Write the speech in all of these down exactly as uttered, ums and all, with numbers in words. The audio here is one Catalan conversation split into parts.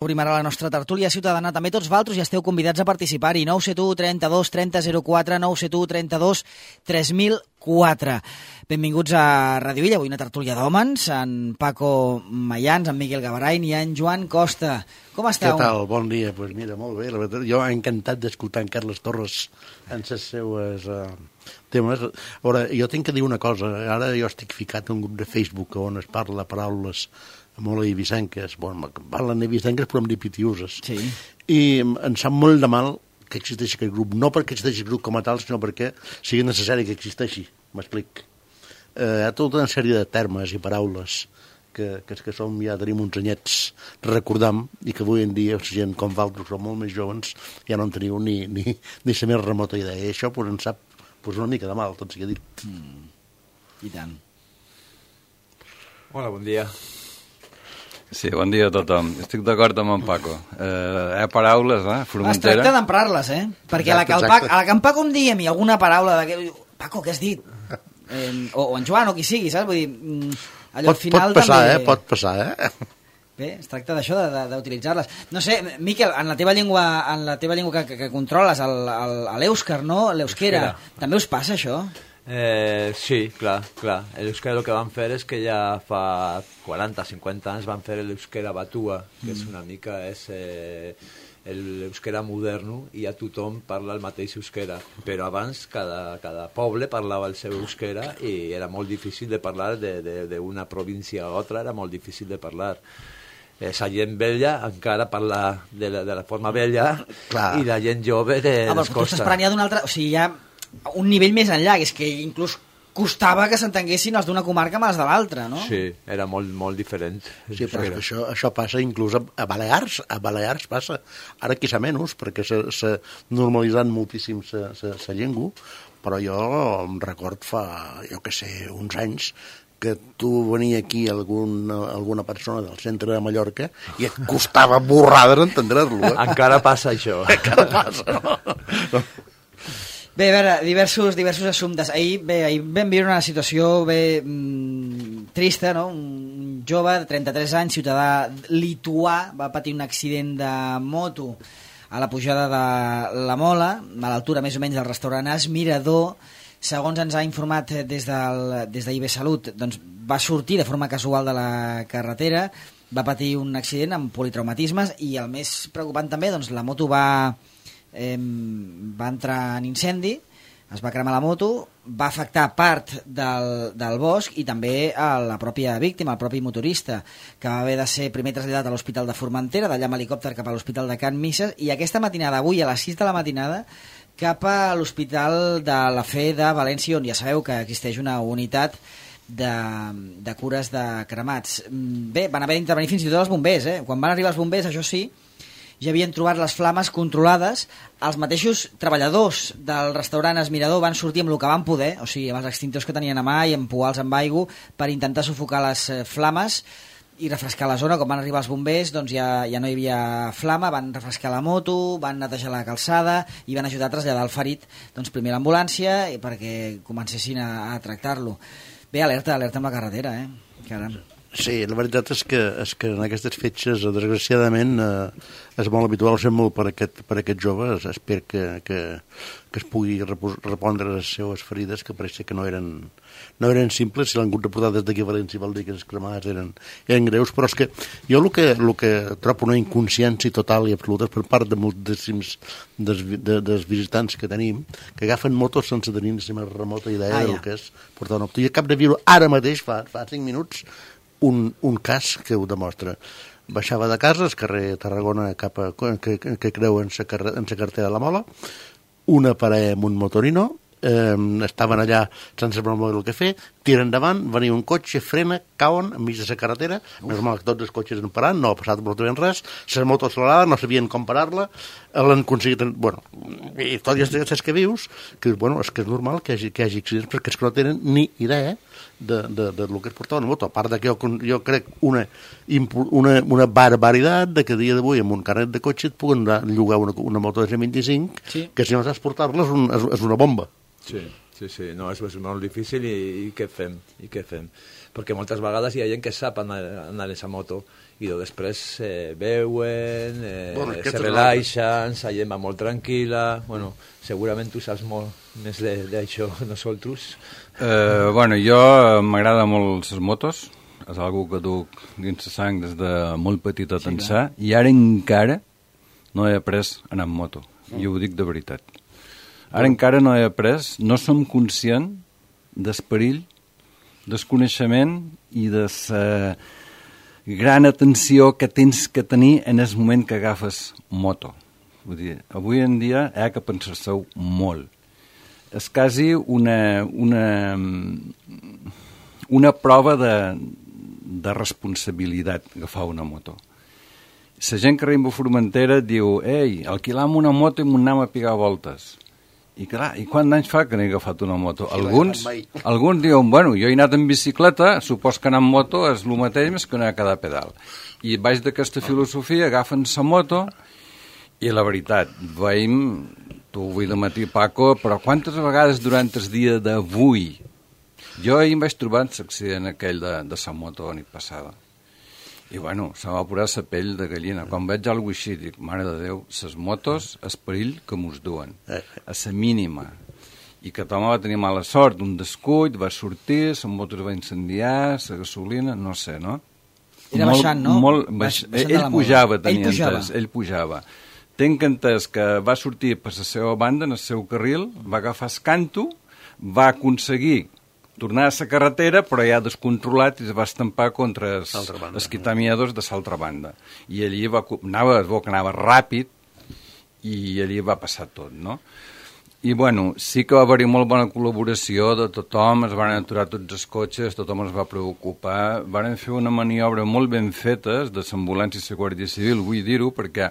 Obrim ara la nostra tertúlia ciutadana. També tots vosaltres ja esteu convidats a participar-hi. nou set u trenta-dos trenta zero quatre, nou set u trenta-dos tres mil quatre. Benvinguts a Radio Illa. Avui una tertúlia d'hòmens, en Paco Mayans, en Miquel Gavarain i en Joan Costa. Com esteu? Què tal? Bon dia. Pues mira, molt bé. La veritat, jo he encantat d'escoltar en Carles Torres en les seues uh, temes. Ara, jo tinc que dir una cosa. Ara jo estic ficat en un grup de Facebook on es parla paraules molt eivissenques. Bueno, parlen eivissenques però amb dipitiuses. Sí. I em sap molt de mal que existeixi aquest grup. No perquè existeixi el grup com a tal, sinó perquè sigui necessari que existeixi. M'explic. Eh, hi ha tota una sèrie de termes i paraules que, que, que som, ja tenim uns anyets recordam, i que avui en dia, gent com vosaltres, que som molt més joves, ja no en teniu ni, ni, ni la més remota idea. I això pues, ens sap pues, una mica de mal, tot sigui dit. Mm. I tant. Hola, bon dia. Sí, bon dia a tothom. Estic d'acord amb en Paco. Eh, hi ha paraules, eh? Formentera. Es tracta d'emprar-les, eh? Perquè exacte, a, la que el Paco, a la que en Paco em diguem alguna paraula de... Paco, què has dit? Eh, o, o en Joan, o qui sigui, saps? Vull dir, allò pot, al final pot passar, també... eh? Pot passar, eh? Bé, es tracta d'això, d'utilitzar-les. No sé, Miquel, en la teva llengua, en la teva llengua que, que, que controles, l'èuscar, no? L'euskera. També us passa, això? Eh, sí, clar, clar. L'euskera el que van fer és que ja fa quaranta cinquanta anys van fer l'euskera batua, que és una mica és, eh, l'euskera moderno, i ja tothom parla el mateix euskera. Però abans cada, cada poble parlava el seu euskera i era molt difícil de parlar d'una província a l'altra, era molt difícil de parlar. La gent vella encara parla de la, de la forma vella clar. I la gent jove de ah, les costes. Tu estàs parlant ja d'un altre... O sigui, ja un nivell més enllà, que és que inclús costava que s'entenguessin els d'una comarca amb els de l'altra, no? Sí, era molt, molt diferent. Sí, però és que això, això passa inclús a, a Balears, a Balears passa. Ara quizà menys, perquè s'ha normalitzat moltíssim la llengua, però jo em record fa, jo què sé, uns anys, que tu venia aquí alguna, alguna persona del centre de Mallorca i et costava borrada d'entendre-lo. Eh? Encara passa això. Encara passa, no? no. Bé, a veure, diversos, diversos assumptes. Ahir, bé, ahir vam viure una situació bé, mmm, trista, no? Un jove de trenta-tres anys, ciutadà lituà, va patir un accident de moto a la pujada de la Mola, a l'altura més o menys del restaurant Es Mirador. Segons ens ha informat des del, des d'I B Salut, doncs va sortir de forma casual de la carretera, va patir un accident amb politraumatismes i el més preocupant també, doncs la moto va... Eh, va entrar en incendi, es va cremar la moto, va afectar part del, del bosc i també a la pròpia víctima, el propi motorista, que va haver de ser primer traslladat a l'Hospital de Formentera, d'allà amb helicòpter cap a l'Hospital de Can Misses, i aquesta matinada, avui a les sis de la matinada, cap a l'Hospital de la Fe de València, on ja sabeu que existeix una unitat de, de cures de cremats. Bé, van haver d'intervenir fins i tot els bombers, eh? Quan van arribar els bombers, això sí, ja havien trobat les flames controlades. Els mateixos treballadors del restaurant Es Mirador van sortir amb el que van poder, o sigui, amb els extintors que tenien a mà i empuar-los amb aigua per intentar sufocar les flames i refrescar la zona. Quan van arribar els bombers, doncs ja, ja no hi havia flama, van refrescar la moto, van netejar la calçada i van ajudar a traslladar el ferit, doncs primer a l'ambulància perquè comencessin a, a tractar-lo. Bé, alerta, alerta amb la carretera, eh? Caram. Sí, la veritat és que, és que en aquestes fetges, desgraciadament, eh, és molt habitual, ser molt per aquest, per aquest jove. Espero que, que, que es pugui repondre les seues ferides, que pareix que no eren, no eren simples. Si l'han hagut de portar des d'aquí a València, vol dir que les cremades eren, eren greus, però és que jo el que, el que trobo una inconsciència total i absoluta per part de moltíssims des, de, dels visitants que tenim, que agafen motos sense tenir la més remota idea ah, del ja. que és portar una moto. I acabo de viure ara mateix, fa, fa cinc minuts, Un, un cas que ho demostra. Baixava de casa, al carrer Tarragona, cap a, que, que creu en la carretera de la Mola, una parella amb un motorino, eh, estaven allà sense promoure el que fer, tiren endavant, venia un cotxe, frena, cauen enmig de la carretera, més mal que tots els cotxes han parat, no ha passat absolutament res, la moto acelerada, no sabien com parar-la, l'han aconseguit, bueno, i tot i els que vius, que bueno, és que és normal que hi hagi, que hi hagi accidents, perquè és que no tenen ni idea de, de, de lo que es portava una moto, a part de que jo, jo crec una, una, una barbaritat de que a dia d'avui amb un carnet de cotxe et puguen llogar una, una moto de cent vint-i-cinc sí. que si no saps portar-la és, un, és, és una bomba. Sí, sí, sí, no, és, és molt difícil i, i què fem, i què fem? Perquè moltes vegades hi ha gent que sap anar, anar en aquesta moto i després eh, beuen, eh, Bueno, se aquesta és relaixen, la gent va molt tranquil·la. Bueno, segurament tu saps molt més de- d'això que nosaltres. Eh, bueno, jo m'agrada molt les motos, és algo que duc dins la sang des de molt petit a tensar, i ara encara no he après a anar amb moto, i ho dic de veritat. Ara encara no he après, no som conscient del perill, del coneixement i de la gran atenció que tens que tenir en el moment que agafes moto. Vull dir, avui en dia hi ha que pensar-se-ho molt. És quasi una, una, una prova de, de responsabilitat agafar una moto. La gent que arriba a Formentera diu, ei, alquilam una moto i m'anem a pigar voltes. I clar, i quants anys fa que n'he agafat una moto? Sí, Alguns, mai. alguns diuen, bueno, jo he anat en bicicleta, supos que anar amb moto és el mateix més que anar a cada pedal. I baix d'aquesta filosofia agafen la moto i la veritat, veiem, tu avui de matí, Paco, però quantes vegades durant el dia d'avui jo ahir em vaig trobar en l'accident aquell de, de la moto la nit passada. I bueno, se m'ha posat la pell de gallina. Quan veig alguna cosa així, dic, mare de Déu, les motos, el perill que mos duen, a la mínima. I que Tom va tenir mala sort, un descuit, va sortir, la moto es va incendiar, la gasolina, no sé, no? Era baixant, no? Molt, baix... Baix, ell pujava, tenia ell pujava. entès, ell pujava. Tenc entès que va sortir per la seva banda, en el seu carril, va agafar el canto, va aconseguir tornar a la carretera, però ja descontrolat i es va estampar contra els, els quitamiadors de l'altra banda. I allí va, anava, es veu que anava ràpid i allí va passar tot, no? I, bueno, sí que va haver-hi molt bona col·laboració de tothom, es van aturar tots els cotxes, tothom es va preocupar, van fer una maniobra molt ben feta de l'ambulància i la Guàrdia Civil, vull dir-ho, perquè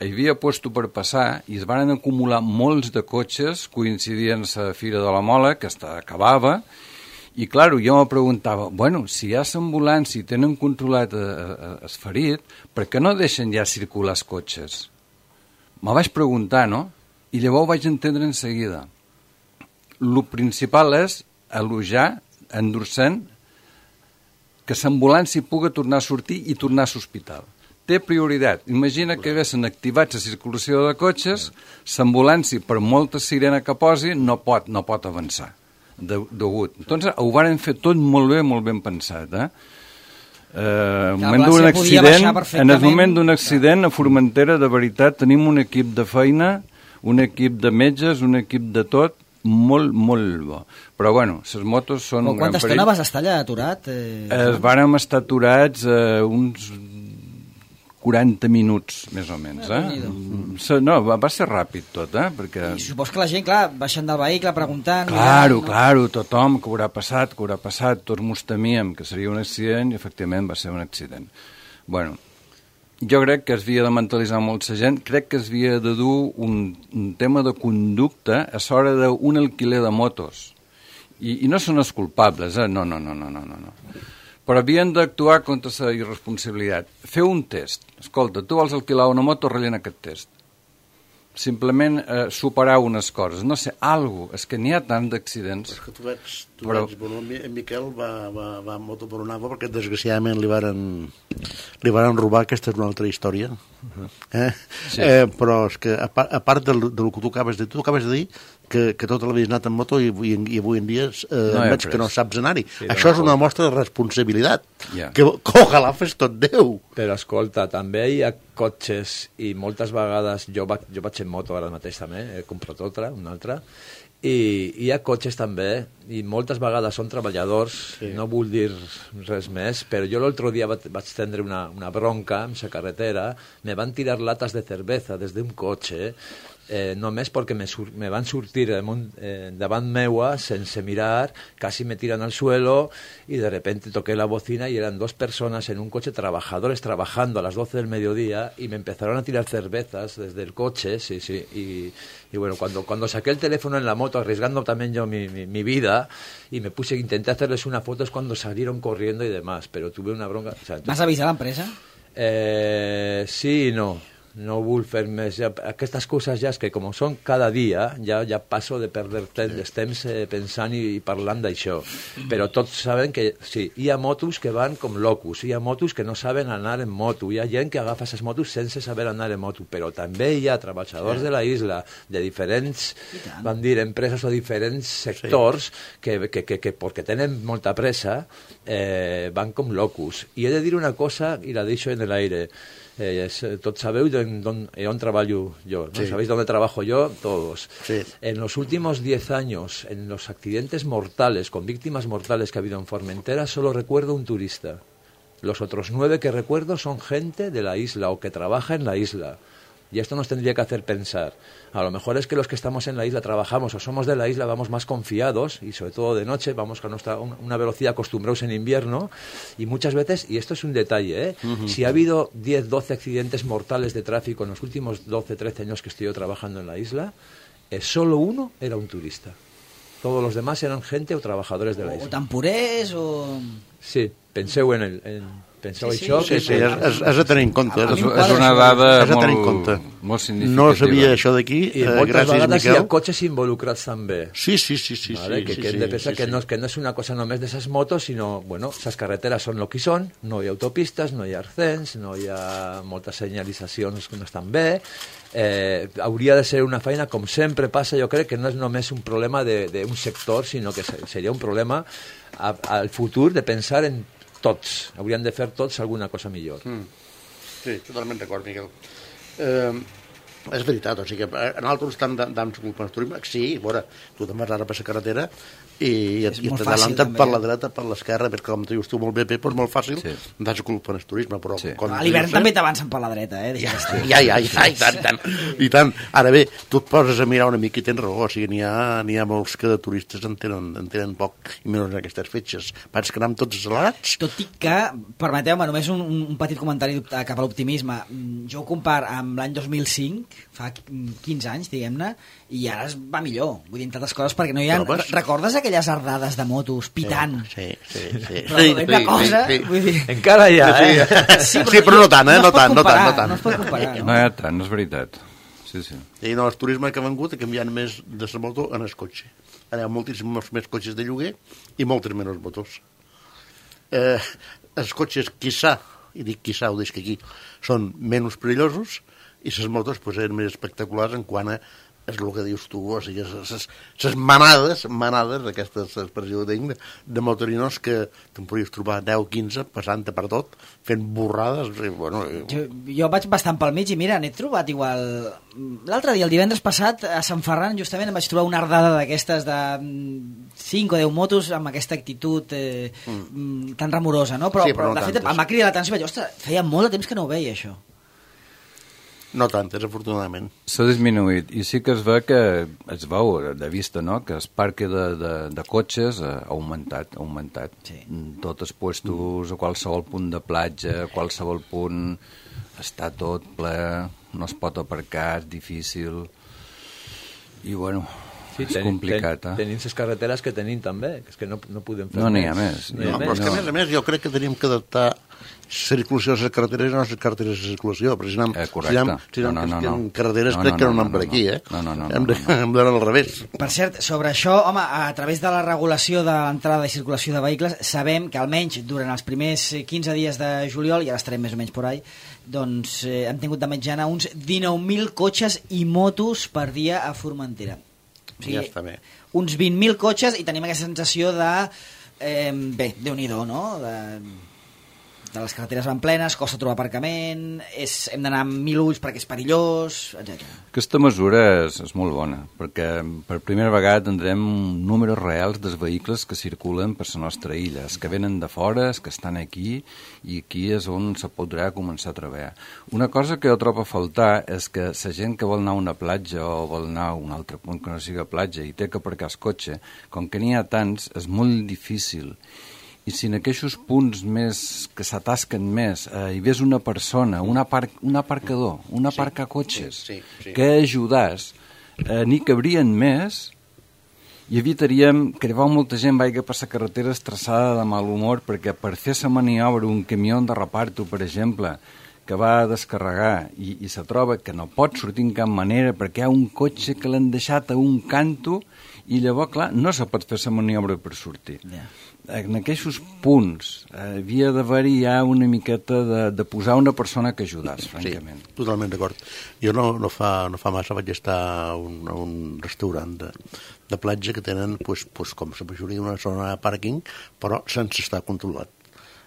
hi havia puesto per passar i es van acumular molts de cotxes, coincidien la Fira de la Mola, que acabava, i, clar, jo me preguntava, bueno, si hi ha l'ambulància i tenen controlat el ferit, per què no deixen ja circular els cotxes? Me vaig preguntar, no? I llavors ho vaig entendre en seguida. El principal és elogiar, endurcent, que l'ambulància pugui tornar a sortir i tornar a l'hospital. Té prioritat. Imagina que haguessin activat la circulació de cotxes, l'ambulància, per molta sirena que posi, no pot, no pot avançar. De, degut. Entonces, ho varen fer tot molt bé, molt ben pensat, eh? Eh, moment d'un accident, en el moment d'un accident a Formentera, de veritat, tenim un equip de feina, un equip de metges, un equip de tot, molt, molt bo. Però, bueno, les motos són un gran perill. Quanta estona vas estar allà aturat? Eh, eh, vàrem estar aturats eh, uns quaranta minuts, més o menys. Eh? No, va, va ser ràpid tot, eh? Perquè... I supos que la gent, clar, baixant del vehicle preguntant... Claro, no? claro, tothom, que haurà passat, que haurà passat, tots mos temíem que seria un accident i efectivament va ser un accident. Bueno, jo crec que es havia de mentalitzar molt la gent, crec que es havia de dur un, un tema de conducta a l'hora d'un alquiler de motos. I, i no són els culpables, eh? No, no, no, no, no, no. Però havien d'actuar contra la irresponsabilitat. Fer un test. Escolta, tu vols alquilar una moto, rellena aquest test. Simplement eh, superar unes coses. No sé, algo. És que n'hi ha tant d'accidents. És que tu veig, tu Però... veig bueno, en Miquel va, va, va a moto per una agua perquè desgraciadament li varen, li varen robar, aquesta és una altra història. Eh? Sí. Eh, però és que a part, a part del, del que tu acabes de dir, tu acabes de dir que, que tota la vida has anat en moto i, i, i avui en dia eh, no veig que no saps anar-hi. Sí, això és una mostra de responsabilitat. Yeah. Que, que ojalà fes tot Déu. Però escolta, també hi ha cotxes i moltes vegades, jo, va, jo vaig en moto ara mateix també, he comprat altra, una altra, i hi ha cotxes també, i moltes vegades són treballadors, sí. No vull dir res més, però jo l'altre dia vaig, vaig tindre una, una bronca en la carretera, me van tirar latas de cerveza des d'un cotxe, eh, només perquè me, sur me van sortir eh, davant meua sense mirar, casi me tiran al suelo y de repente toqué la bocina y eran dos personas en un coche, trabajadores trabajando a las doce del mediodía y me empezaron a tirar cervezas desde el coche, sí, sí, y, y bueno, cuando, cuando saqué el teléfono en la moto, arriesgando también yo mi, mi, mi vida, y me puse, intenté hacerles una foto, es cuando salieron corriendo y demás, pero tuve una bronca. O sea, ¿Vas a avisar a la empresa? Eh, sí y no. no vull fer més. Ja, aquestes coses ja és que com són cada dia, ja, ja passo de perdre temps, sí. temps eh, pensant i, i parlant d'això. Però tots saben que sí, hi ha motos que van com locos, hi ha motos que no saben anar en moto, hi ha gent que agafa aquestes motos sense saber anar en moto, però també hi ha treballadors sí. de la isla, de diferents, vam dir, empreses o diferents sectors sí. que, que, que, que perquè tenen molta pressa eh, van com locos. I he de dir una cosa i la deixo en l'aire. Eh, es, todos sabéis dónde on trabajo yo, ¿no? Sí. ¿Sabéis dónde trabajo yo? Todos. Sí. En los últimos diez años, en los accidentes mortales, con víctimas mortales que ha habido en Formentera, solo recuerdo un turista. Los otros nueve que recuerdo son gente de la isla o que trabaja en la isla. Y esto nos tendría que hacer pensar. A lo mejor es que los que estamos en la isla trabajamos o somos de la isla, vamos más confiados y sobre todo de noche, vamos con nuestra, una velocidad acostumbrados en invierno y muchas veces, y esto es un detalle, ¿eh? Uh-huh. Si ha habido diez, doce accidentes mortales de tráfico en los últimos doce, trece años que estoy yo trabajando en la isla, eh, solo uno era un turista. Todos los demás eran gente o trabajadores de la isla. O tampurers o... Sí, penseu en el... En... Penseu sí, això? Sí, que sí, és, és, és a tenir en compte. És, és una dada molt, molt significativa. No sabia això d'aquí, I eh, moltes gràcies, vegades Miquel. Hi ha cotxes involucrats també. Sí, sí, sí. sí, vale? sí, que, sí, que hem de pensar sí, que, sí. No, que no és una cosa només d'esas motos, sinó, bueno, esas carreteres són el que són, no hi ha autopistes, no hi ha arcens, no hi ha moltes senyalitzacions que no estan bé. Eh, hauria de ser una feina, com sempre passa, jo crec que no és només un problema d'un sector, sinó que seria un problema a, al futur de pensar en tots, haurien de fer tots alguna cosa millor. Mm. Sí, totalment d'acord, Miquel. Eh, és veritat, o sigui que nosaltres estem dant culpa al turisme, sí, veure, tu te'n vas ara per la carretera i, i, i t'adalanten per la dreta, per l'esquerra, perquè com dius tu molt bé, Pep, és molt fàcil, sí. Dats culpa al turisme, però... Sí. A l'hivern també t'avancen per la dreta, eh? Ja, ja, ja, ja, i tant, tant, i tant. Ara bé, tu et poses a mirar una mica i tens raó, o sigui, n'hi ha, n'hi ha molts que de turistes en tenen, en tenen poc, i menys en aquestes fetges. Pats que anem tots accelerats. Tot i que, permeteu-me, només un, un petit comentari cap a l'optimisme. Jo ho comparo amb l'any dos mil cinc, fa quinze anys, diguem-ne, i ara es va millor. Vull dir, entre altres coses, perquè no hi ha... Trobes? Recordes aquelles ardades de motos pitant? Sí, sí, sí. Però sí, una sí, cosa... Sí, sí. Vull dir... Encara hi ha, eh? Sí, però, sí, però no tant, eh? No, no tant, no tant, no tant. No es pot comparar, no? No hi ha tant, és veritat. Sí, sí. I no, el turisme que ha vengut ha canviat més de la moto en el cotxe. Ara hi ha moltíssims més cotxes de lloguer i moltes menys motos. Eh, els cotxes, quizà, i dic quizà, ho deixo aquí, són menys perillosos i les motos pues, eren més espectaculars en quant a és el que dius tu, o sigui, les manades, manades, aquesta expressió que tinc, de motorinos que te'n podries trobar deu quinze passant per tot, fent borrades. I, bueno, jo, jo vaig bastant pel mig i mira, n'he trobat igual... L'altre dia, el divendres passat, a Sant Ferran, justament em vaig trobar una ardada d'aquestes de cinc o deu motos amb aquesta actitud eh, mm. tan remorosa, no? Però, sí, però, però no de fet, em va cridar l'atenció i vaig dir, ostres, feia molt de temps que no ho veia, això. No tantes, afortunadament. S'ha disminuït, i sí que es ve que es veu de vista, no?, que el parc de, de, de cotxes ha augmentat, ha augmentat. Sí. Tots els puestos, a qualsevol punt de platja, a qualsevol punt, està tot ple, no es pot aparcar, és difícil, i bueno... Sí, és tenim, complicat, ten, eh? Tenim les carreteres que tenim també, que és que no, no podem fer no més. No n'hi ha més. No, no, però és que a més a més jo crec que tenim que adaptar la circulació de les carreteres i no les carreteres de circulació, però si anem, eh, correcte. Si anem, si anem no, no, no, no. carreteres no, crec no, que no no, anem no, per aquí, eh? No, no, no. Hem d'anar no, no. al revés. Per cert, sobre això, home, a través de la regulació de l'entrada i circulació de vehicles, sabem que almenys durant els primers quinze dies de juliol, i ara estarem més o menys por ahí, doncs eh, hem tingut de mitjana uns dinou mil cotxes i motos per dia a Formentera. O sigui, ja està bé. Uns vint mil cotxes i tenim aquesta sensació de... Eh, bé, Déu-n'hi-do, no? De, de les carreteres van plenes, costa trobar aparcament, és, hem d'anar amb mil ulls perquè és perillós, etcètera. Aquesta mesura és, és molt bona, perquè per primera vegada tindrem números reals dels vehicles que circulen per la nostra illa, els que venen de fora, els que estan aquí, i aquí és on se podrà començar a treballar. Una cosa que jo trobo a faltar és que la gent que vol anar a una platja o vol anar a un altre punt que no sigui platja i té que aparcar el cotxe, com que n'hi ha tants, és molt difícil. I si en aquests punts més que s'atasquen més eh, hi ves una persona, un, apar un aparcador, un aparcacotxes, sí, sí, sí. que ajudàs, eh, n'hi cabrien més i evitaríem que arribava molta gent vagi per la carretera estressada de mal humor perquè per fer la maniobra un camió de reparto, per exemple, que va a descarregar i, i se troba que no pot sortir en cap manera perquè hi ha un cotxe que l'han deixat a un canto i llavors, clar, no se pot fer la maniobra per sortir. Yeah. En aquests punts eh, havia d'haver-hi ja una miqueta de, de posar una persona que ajudés, francament. Sí, totalment d'acord. Jo no, no, fa, no fa massa vaig estar a un, a un restaurant de, de platja que tenen, pues, pues, com la majoria, una zona de pàrquing, però sense estar controlat.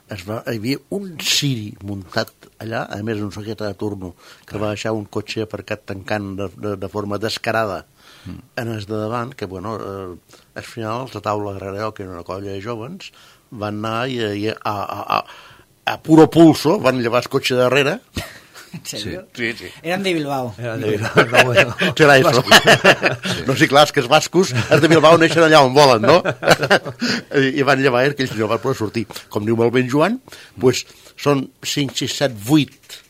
Es va, hi havia un ciri muntat allà, a més un saqueta de turno, que va deixar un cotxe aparcat tancant de, de, de forma descarada mm. en els de davant, que, bueno, eh, al final, la taula darrere, que era una colla de jovens, van anar i, i a, a, a, a puro pulso, van llevar el cotxe darrere. ¿En serio? Sí, sí. Eran de Bilbao. Eran de Bilbao, no, bueno. Serà això. Sí. No sé, clar, és que els bascos, els de Bilbao neixen allà on volen, no? I, i van llevar que ells no van poder sortir. Com diu molt ben Joan, pues, són cinc, sis, set, vuit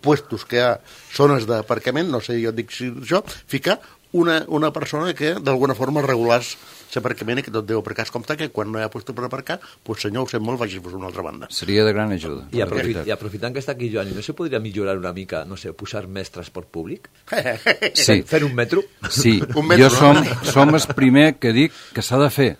puestos que hi ha zones d'aparcament, no sé, jo dic si això, fica una, una persona que d'alguna forma regulars l'aparcament i que tot deu aparcar com que quan no hi ha puesto per aparcar, pues senyor, ho sé molt, vagis a una altra banda. Seria de gran ajuda. I, aprofit, i aprofitant que està aquí Joan, no se podria millorar una mica, no sé, posar més transport públic? Sí. Fer un metro? Sí, un metro, jo som, som el primer que dic que s'ha de fer.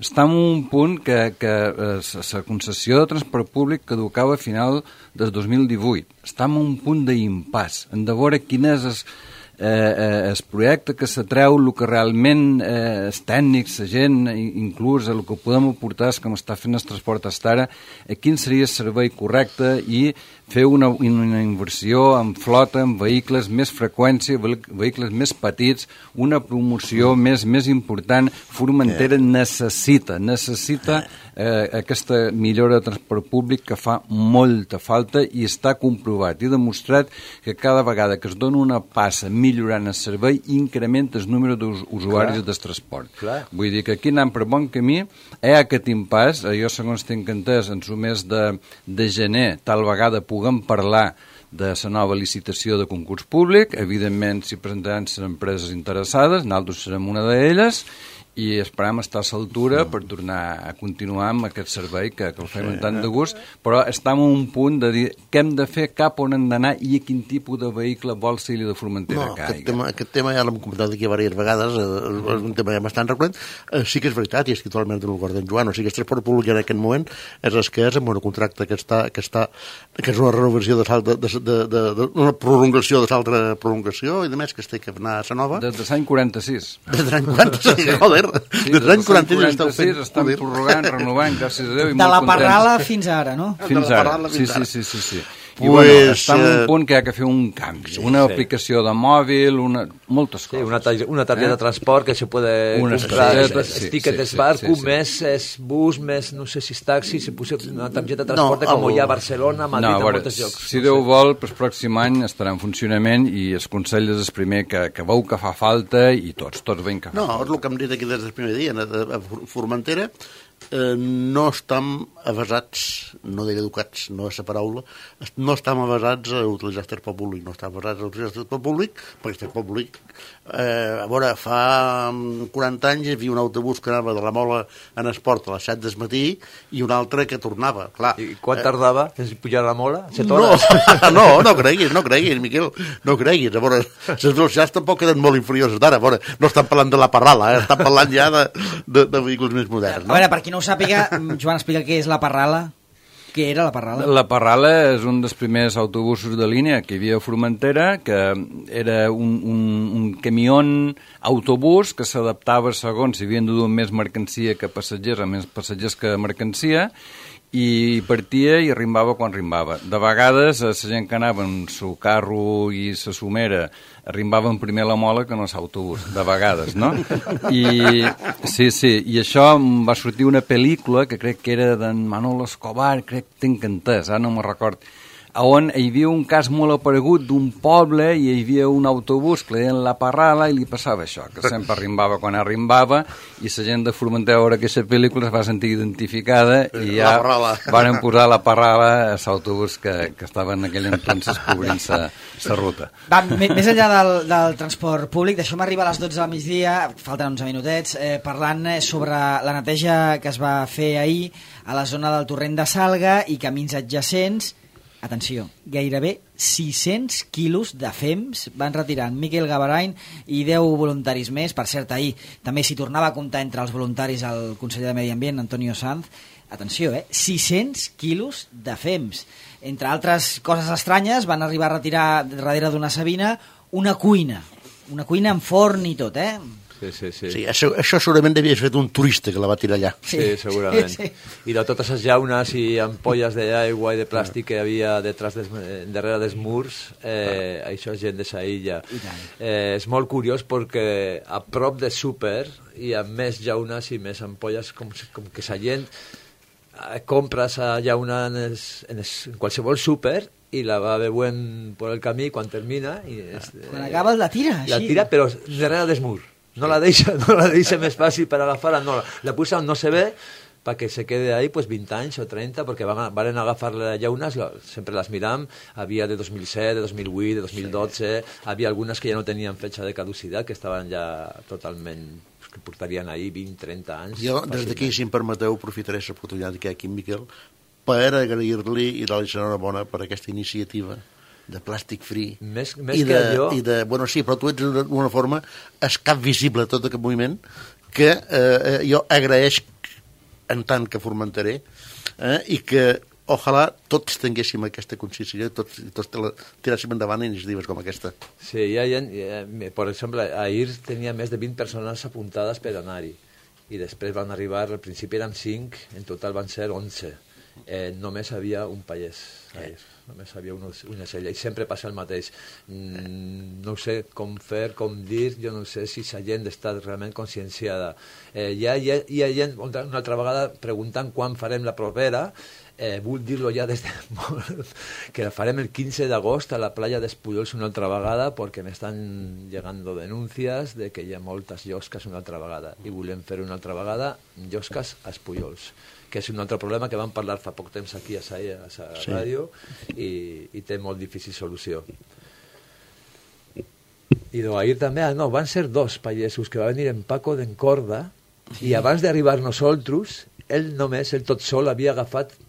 Està en un punt que, que la concessió de transport públic caducava a final del dos mil divuit. Està en un punt d'impàs. Hem de veure quin és el, eh, el projecte que s'atreu, el que realment eh, els tècnics, la gent, inclús el que podem aportar, com està fent el transport hasta ara, a quin seria el servei correcte i fer una, una inversió en flota, en vehicles, més freqüència, vehicles més petits, una promoció més, més important. Formentera necessita, necessita eh, aquesta millora de transport públic que fa molta falta i està comprovat i demostrat que cada vegada que es dona una passa millorant el servei incrementa el número d'usuaris del transport. Clar. Vull dir que aquí anem per bon camí, hi ha aquest impàs, jo segons tinc entès, en el mes de, de gener, tal vegada puguem parlar de la nova licitació de concurs públic, evidentment s'hi presentaran les empreses interessades, nosaltres serem una d'elles, i esperem estar a l'altura per tornar a continuar amb aquest servei que, que el fem amb tant de gust, però estem a un punt de dir què hem de fer, cap on hem d'anar i a quin tipus de vehicle vol ser de Formentera no, que aquest tema, aquest tema ja l'hem comentat aquí diverses vegades, eh, és un tema ja bastant recurrent. Eh, sí que és veritat, i estic totalment del govern d'en Joan, o sigui, el transport públic en aquest moment és el que és, amb un contracte que està, que està que és una renovació de, de, de, de, de, de una prolongació de l'altra prolongació i de més que es té que anar a la nova. Des de l'any quaranta-sis. Des de l'any quaranta-sis, joder. Sí, des de l'any quaranta-sis estan prorrogant, renovant, gràcies a Déu, i de molt la contents. Parrala fins ara, no? Fins ara, sí, sí, sí, sí, sí. I pues, bueno, està en un eh, punt que hi ha que fer un canvi, una sí. aplicació de mòbil, una, moltes coses. Sí, una, targeta, una targeta eh? de transport que se puede Unes comprar, targetes, es, sí, es ticket sí, es barco, sí, sí. més es bus, més no sé si és taxi, se puso una targeta de transport no, com el... hi ha a Barcelona, a Madrid, no, a veure, a molts llocs. Si no Déu sé. vol, el pròxim any estarà en funcionament i el Consell és el primer que, que veu que fa falta i tots, tots veiem que fa No, falta. és el que hem dit aquí des del primer dia, a Formentera eh, no estem avasats, no diré educats, no és la paraula, no estem avasats a utilitzar el transport públic, no estem avasats a utilitzar el transport públic, perquè el transport públic, eh, a veure, fa quaranta anys hi havia un autobús que anava de la Mola en esport a les set del matí i un altre que tornava, clar. I quan tardava en pujar la Mola? Set No, hores? no, no creguis, no creguis, Miquel, no creguis. A veure, les velocitats tampoc queden molt inferiors d'ara, a veure, no estan parlant de la Parrala, eh? Estan parlant ja de, de, de vehicles més moderns, no? A veure, per qui no ho sàpiga, Joan, explica què és la Parrala. Què era la Parrala? La Parrala és un dels primers autobusos de línia que hi havia a Formentera, que era un, un, un camió autobús que s'adaptava segons si havien de dur més mercancia que passatgers, o més passatgers que mercancia, i partia i arribava quan arribava. De vegades, la gent que anava amb el seu carro i la somera arribaven primer a la Mola que no a l'autobús, de vegades, no? I, sí, sí, i això em va sortir una pel·lícula que crec que era d'en Manolo Escobar, crec que tinc entès, ara no me'n record, on hi havia un cas molt aparegut d'un poble i hi havia un autobús que li deien la Parrala i li passava això, que sempre arribava quan arribava i la gent de Formentera a veure aquesta pel·lícula es va sentir identificada i ja van posar la Parrala a l'autobús que, que estava en aquell entonces cobrint la ruta. Va, més enllà del, del transport públic, deixem arribar a les dotze del migdia, falten onze minutets, eh, parlant sobre la neteja que es va fer ahir a la zona del torrent de Salga i camins adjacents, atenció, gairebé sis-cents quilos de fems van retirar en Miquel Gavarain i deu voluntaris més. Per cert, ahir també s'hi tornava a comptar entre els voluntaris el conseller de Medi Ambient, Antonio Sanz. Atenció, eh? sis-cents quilos de fems. Entre altres coses estranyes, van arribar a retirar darrere d'una sabina una cuina. Una cuina amb forn i tot, eh? Sí, sí, sí. Sí, això, això segurament devia ser fet un turista que la va tirar allà. Sí, sí segurament. Sí, sí. I de totes les llaunes i ampolles d'aigua i de plàstic que hi havia detrás des, darrere dels murs, eh, això és gent de sa illa. Eh, és molt curiós perquè a prop de súper hi ha més llaunes i més ampolles, com, com que sa gent eh, compra sa llauna en, els, en, els, en qualsevol súper i la va beuen per el camí quan termina. I és, eh, Quan acaba la tira, així. La tira, però darrere dels murs. No la deixa, no la deixa més fàcil per agafar-la, no, la puja on no se ve perquè se quede ahí pues veinte anys o trenta, perquè van, van agafar les llaunes, sempre les miram, havia de dos mil set, de dos mil vuit, de dos mil dotze, sí. Havia algunes que ja no tenien fetge de caducitat, que estaven ja totalment, que portarien ahí vint a trenta anys. Jo, des d'aquí, si em permeteu, aprofitaré l'oportunitat que hi ha aquí, Miquel, per agrair-li i dar-li l'enhorabona per aquesta iniciativa de plàstic free. Més, més I que de, jo... I de, bueno, sí, però tu ets d'una forma és cap visible tot aquest moviment que eh, jo agraeix en tant que formentaré eh, i que ojalà tots tinguéssim aquesta consciència i tots, tots tiràssim endavant iniciatives com aquesta. Sí, hi ha gent, per exemple, ahir tenia més de vint persones apuntades per anar-hi i després van arribar, al principi eren cinc, en total van ser onze. Eh, només havia un pallès ahir. Només havia una, una cella i sempre passa el mateix. Mm, no sé com fer, com dir, jo no sé si la gent està realment conscienciada. Eh, hi, ha, hi, ha, hi ha gent una altra vegada preguntant quan farem la propera. Eh, vull dir-lo ja des de molt, que la farem el quinze d'agost a la playa d'Espullols una altra vegada perquè m'estan llegando denúncies de que hi ha moltes llosques una altra vegada i volem fer una altra vegada llosques a Espullols, que és un altre problema que vam parlar fa poc temps aquí a sa, a sa sí. ràdio i, i té molt difícil solució. I no, ahir també, no, van ser dos pagesos que va venir en Paco d'Encorda sí. I abans d'arribar nosaltres, ell només, ell tot sol, havia agafat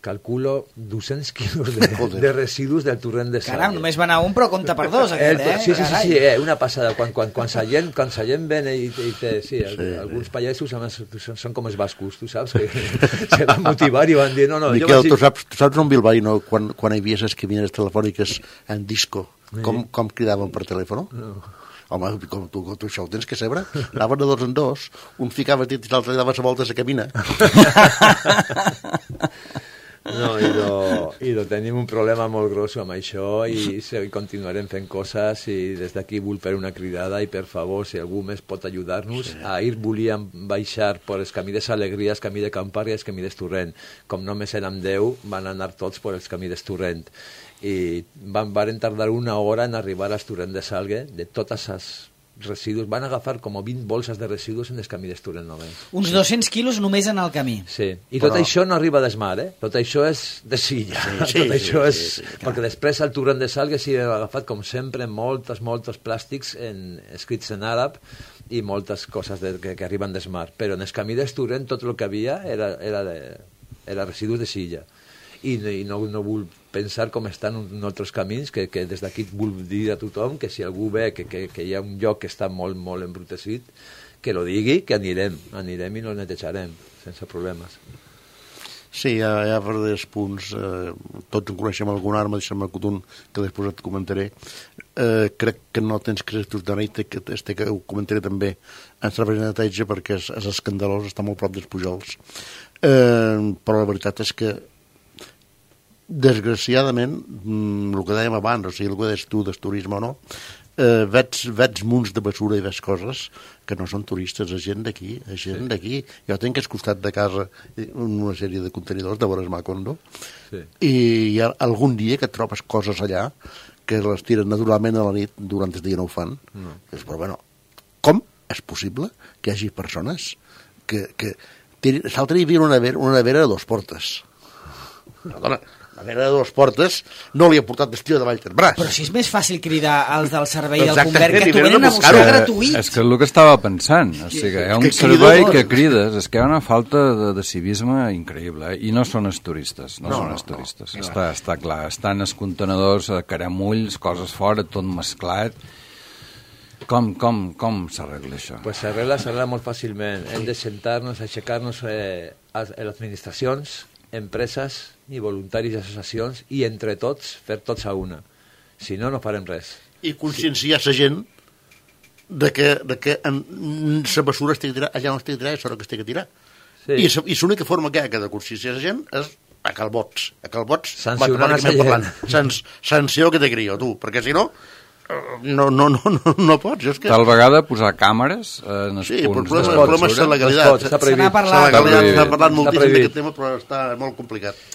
calculo dos-cents quilos de, de residus del torrent de Salla. Caram, només va anar un, però compta per dos, aquest, eh? Sí, sí, sí, sí eh, una passada. Quan, quan, quan sa gent, quan sa gent ven i, i té, sí, sí, alguns pagesos són, són com els bascos, tu saps, que se van motivar i van dir, no, no... Miquel, vaig... tu, saps, tu saps on Bilbao, quan, quan hi havia les cabineres telefòniques en disco, com, sí. com cridaven per telèfon? No. Home, com tu, tu això ho tens que saber. Anaven de dos en dos, un ficava dit i l'altre li dava la volta a la cabina. No, i, no, i no tenim un problema molt gros amb això i, i continuarem fent coses i des d'aquí vull fer una cridada i per favor, si algú més pot ajudar-nos, sí. Ahir volíem baixar per els camí de Salegries, camí de Campar i els camí d'Estorrent. Com només érem deu, van anar tots per els camí d'Estorrent i van, van tardar una hora en arribar a Estorrent de Salgue de totes les residus, van agafar com vint bolses de residus en el camí d'Estorrent només. Uns dos-cents quilos només en el camí. Sí, i tot Però... això no arriba des mar, eh? Tot això és de silla. Sí, sí, tot això sí, és... Sí, sí, perquè després el torrent de Salgue s'hi ha agafat, com sempre, moltes, moltes plàstics en, escrits en àrab i moltes coses de, que, que arriben des mar. Però en el camí d'Estorrent tot el que havia era, era, de, era residus de silla. I, i no, no vull pensar com estan en altres camins, que, que des d'aquí vull dir a tothom que si algú ve que, que, que hi ha un lloc que està molt, molt embrutecit, que lo digui, que anirem, anirem i no el netejarem, sense problemes. Sí, hi ha, hi ha verdaders punts, eh, tots en coneixem algun arma, deixa'm un que després et comentaré. Eh, crec que no tens que ser tutanit, que este que ho comentaré també en servei de neteja perquè és, és escandalós, està molt prop dels Pujols. Eh, però la veritat és que desgraciadament, el que dèiem abans, o sigui, el que deies tu del turisme o no, eh, veig, veig munts de basura i veig coses que no són turistes, és gent d'aquí, és gent sí. d'aquí. Jo tinc al costat de casa una sèrie de contenidors de Bores Macondo sí. i hi ha algun dia que trobes coses allà que les tiren naturalment a la nit, durant el dia no ho fan. No. Però bueno, com és possible que hi hagi persones que... que l'altre dia hi havia una nevera, una nevera de dos portes. Perdona, la vera de Dos Portes no li ha portat destió de Vallterbràs. Però si és més fàcil cridar als del servei del Exactament, Convert, que i t'ho venen venen a a buscar buscar-ho. gratuït. És que és el que estava pensant. O sigui, hi ha un que servei crida que molt. crides, és que hi ha una falta de, de civisme increïble, eh? I no són els turistes, no, No, són no, els turistes. no. Està, està clar, estan els contenedors, a caramulls, coses fora, tot mesclat. Com, com, com s'arregla això? Pues s'arregla, s'arregla molt fàcilment. Hem de sentar-nos, aixecar-nos eh, a les administracions, empreses i voluntaris i associacions i entre tots fer tots a una. Si no, no farem res. I conscienciar la gent de que, de que en, la basura es té que tirar allà on es té que tirar és hora que es té que tirar. Sí. I, I l'única forma que hi ha que de conscienciar la gent és a calbots. A calbots, Sancionar matemàticament esa parlant. gent. Sans, sanció que te crio, tu, perquè si no, no, no, no, no, no pots. És que... Tal vegada posar càmeres en els Sí, però el punts problema, de el problema és la basura. legalitat. No es pot, està prohibit. Se n'ha La parlat. legalitat, prohibit. s'ha parlat Està moltíssim prohibit. d'aquest tema, però està molt complicat.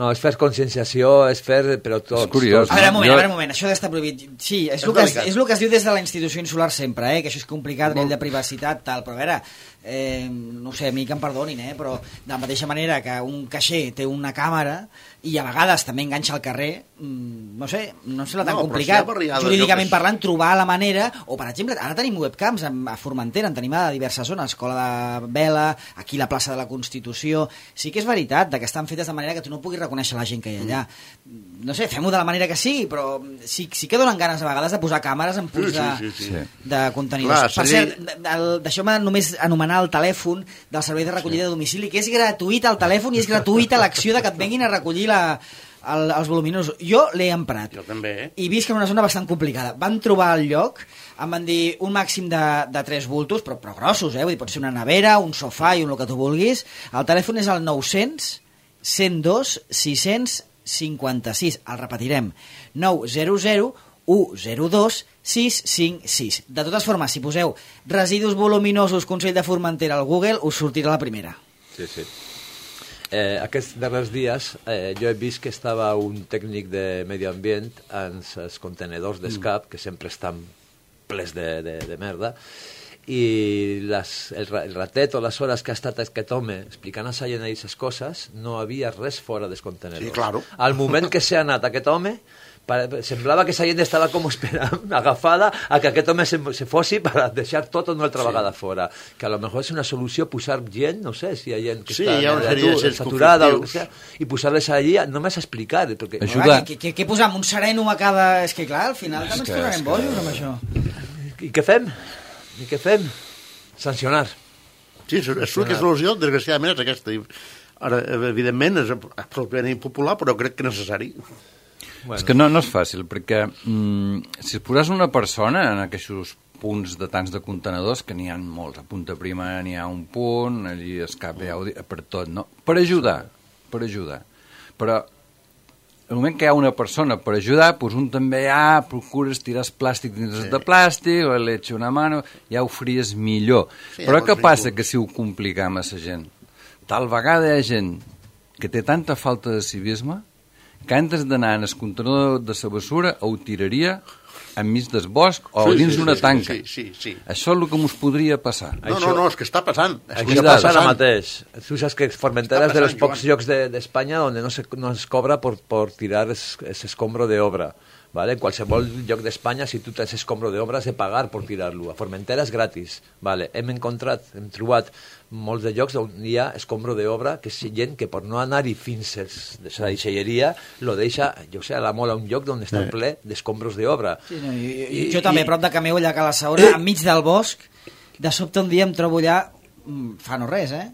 No, és fer conscienciació, és fer, però tots. És curiós. tots. A veure, un moment, Jo- a veure, un moment, això d'estar prohibit. Sí, és, És el que es, delicat. és el que es diu des de la institució insular sempre, eh? Que això és complicat, a nivell de privacitat, tal, però a veure, eh, no ho sé, a mi que em perdonin, eh? Però de la mateixa manera que un caixer té una càmera i a vegades també enganxa al carrer, mm, no sé, no sembla tan No, però complicat, si hi ha barriades, jurídicament jo que- parlant, trobar la manera, o per exemple, ara tenim webcams a a Formentera, en tenim a diverses zones, Escola de Vela, aquí la plaça de la Constitució, sí que és veritat de que estan fetes de manera que tu no puguis reconèixer la gent que hi ha allà. No sé, fem-ho de la manera que sigui, però sí, sí que donen ganes a vegades de posar càmeres en punts Sí, de, sí, sí, sí. de contenidors. Clar, per seria- cert, de- el- deixeu-me només anomenar el telèfon del servei de recollida de domicili, que és gratuït el telèfon i és gratuïta l'acció de que et venguin a recollir la, el, els voluminosos. Jo l'he emprat. Jo també, eh? I visc en una zona bastant complicada. Van trobar el lloc, em van dir un màxim de, de tres bultos, però, però grossos, eh? Vull dir, pot ser una nevera, un sofà i un el que tu vulguis. El telèfon és el nou-cents, cent dos, sis-cents cinquanta-sis. El repetirem. nou zero zero, u zero dos, sis cinc sis. De totes formes, si poseu residus voluminosos Consell de Formentera al Google, us sortirà la primera. Sí, sí. Eh, aquests darrers dies eh, jo he vist que estava un tècnic de medi ambient en els contenedors d'escap, que sempre estan plens de, de, de merda, i les, el, ra- el ratet o les hores que ha estat aquest home explicant a la gent aquestes coses, no havia res fora dels contenedors. Sí, claro. Al moment que s'ha anat aquest home, pare- semblava que la gent estava com esperant, agafada, a que aquest home se, se fossi per deixar tot una altra vegada fora. Que a lo mejor és una solució posar gent, no sé, si hi ha gent que Sí, està hi ha una sèrie de atur- gens saturada o el que conflictius. sea, i posar-les allí només a explicar. Perquè... Ajuda. Clar, què, què, què posam? Un sereno a cada... És que clar, al final És també ens que- tornarem és que- bojos amb això. I què fem? I què fem? Sancionar. Sí, és l'única solució, desgraciadament, és aquesta. I ara, evidentment, és absolutament impopular, però crec que necessari. Bueno, És que no, no és fàcil, perquè mm, si es posàs una persona en aquests punts de tants de contenedors, que n'hi ha molts, a Punta Prima n'hi ha un punt, allí a Escape hi ha per tot, no? Per ajudar, per ajudar. Però el moment que hi ha una persona per ajudar, doncs un també, ah, procures tirar el plàstic dins sí. de plàstic, o le echa una mano, ja ho faries millor. Sí, Però ja què pots passa fer que si ho complicam a la gent? Tal vegada hi ha gent que té tanta falta de civisme que antes d'anar en el contenedor de la basura ho tiraria enmig del bosc o Sí, dins sí, d'una sí, tanca. sí, sí, sí. Això és el que ens podria passar. No, no, no, és que està passant. És que Això està passa ara passant. mateix. Tu saps que Formentera Està és de los passant, pocs Joan. llocs de- d'Espanya de, on no se, no es cobra por, por tirar ese escombro de obra. ¿Vale? En qualsevol lloc d'Espanya, si tu tens escombro d'obra, has de pagar per tirar-lo. A Formentera és gratis. Vale. Hem encontrat, hem trobat molts de llocs on hi ha escombro d'obra, que és gent que per no anar-hi fins a la deixalleria lo deixa, jo sé, a la mola, un lloc on està ple d'escombros d'obra. Sí, no, i, i, jo també, a prop de Cameu, allà a Cala Saona, enmig del bosc, de sobte un dia em trobo allà, mm, fa no res, eh?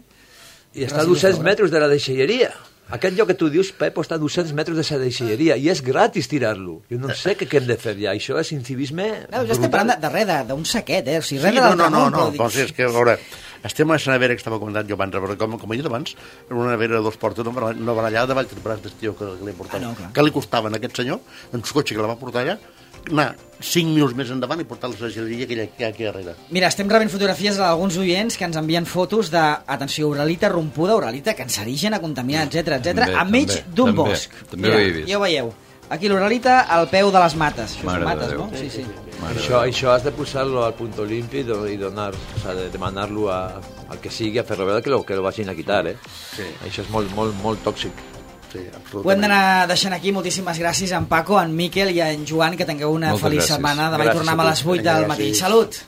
I està a dos-cents metres de la deixalleria. Aquest lloc que tu dius, Pep, està a dos-cents metres de la deixalleria i és gratis tirar-lo. Jo no sé què, què hem de fer ja. Això és incivisme No, ja estem parlant de, de res, de- d'un saquet, eh? O sigui, res Sí, de no, l'altre no, no, món, no, però dic- però sí, és que, a veure, estem a la nevera que estava comentant jo abans, però com, com he dit abans, era una nevera de dos portes, no, bar- no barallada de Vallterbràs d'estiu que, que li portava. Ah, no, clar. Què li costava a aquest senyor, en el cotxe que la va portar allà, anar cinc minuts més endavant i portar-la a la geleria que hi ha, que hi ha aquí darrere. Mira, estem rebent fotografies d'alguns oients que ens envien fotos de, atenció, uralita rompuda, uralita cancerígena, contaminada, etcètera, etcètera, També, enmig també, d'un també, bosc. també Mira, ho he vist. ja ho veieu. Aquí l'uralita al peu de les mates. Això Mare són de mates, Déu. no? Sí, sí. Mare Això, de això has de posar-lo al punto limpio i, do- i donar, o sea, de demanar-lo a- al que sigui a Ferrovial que lo, que lo vagin a quitar, eh? Sí. Això és molt, molt, molt tòxic. Sí, ho hem d'anar deixant aquí. Moltíssimes gràcies a en Paco, a en Miquel i a en Joan, que tingueu una Moltes feliç gràcies. setmana. Demà hi Gràcies tornem a a tu. les vuit del Gràcies. matí. Salut!